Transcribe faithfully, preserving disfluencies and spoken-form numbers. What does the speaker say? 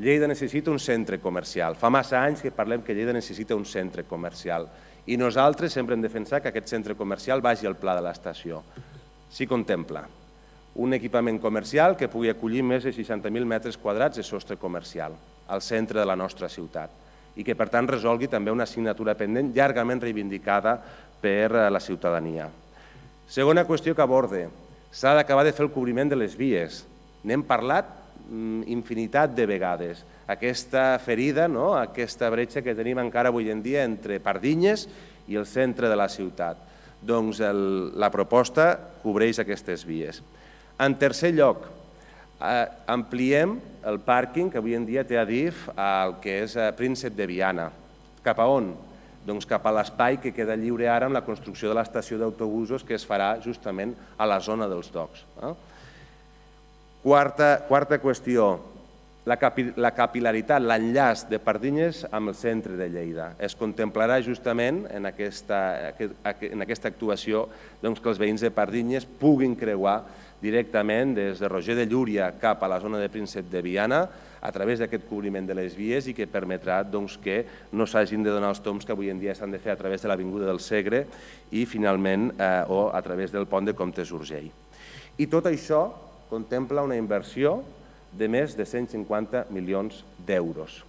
Lleida necessita un centre comercial. Fa massa anys que parlem que Lleida necessita un centre comercial i nosaltres sempre hem defensat que aquest centre comercial vagi al pla de l'estació. S'hi contempla un equipament comercial que pugui acollir més de seixanta mil metres quadrats de sostre comercial al centre de la nostra ciutat i que, per tant, resolgui també una assignatura pendent llargament reivindicada per la ciutadania. Segona qüestió que aborde, s'ha d'acabar de fer el cobriment de les vies. N'hem parlat infinitat de vegades. Aquesta ferida, aquesta bretxa que tenim encara avui en dia entre Pardinyes i el centre de la ciutat. Doncs la proposta cobreix aquestes vies. En tercer lloc, ampliem el pàrquing que avui en dia té Adif al que és Príncep de Viana. Cap a on? Doncs cap a l'espai que queda lliure ara amb la construcció de l'estació d'autobusos que es farà justament a la zona dels docks. Quarta qüestió, la capil·laritat, l'enllaç de Pardinyes amb el centre de Lleida. Es contemplarà justament en aquesta actuació que els veïns de Pardinyes puguin creuar directament des de Roger de Llúria cap a la zona de Príncep de Viana a través d'aquest cobriment de les vies i que permetrà que no s'hagin de donar els tombs que avui en dia s'han de fer a través de l'Avinguda del Segre i finalment o a través del pont de Comtes d'Urgell. I tot això contempla una inversió de més de cent cinquanta milions d'euros.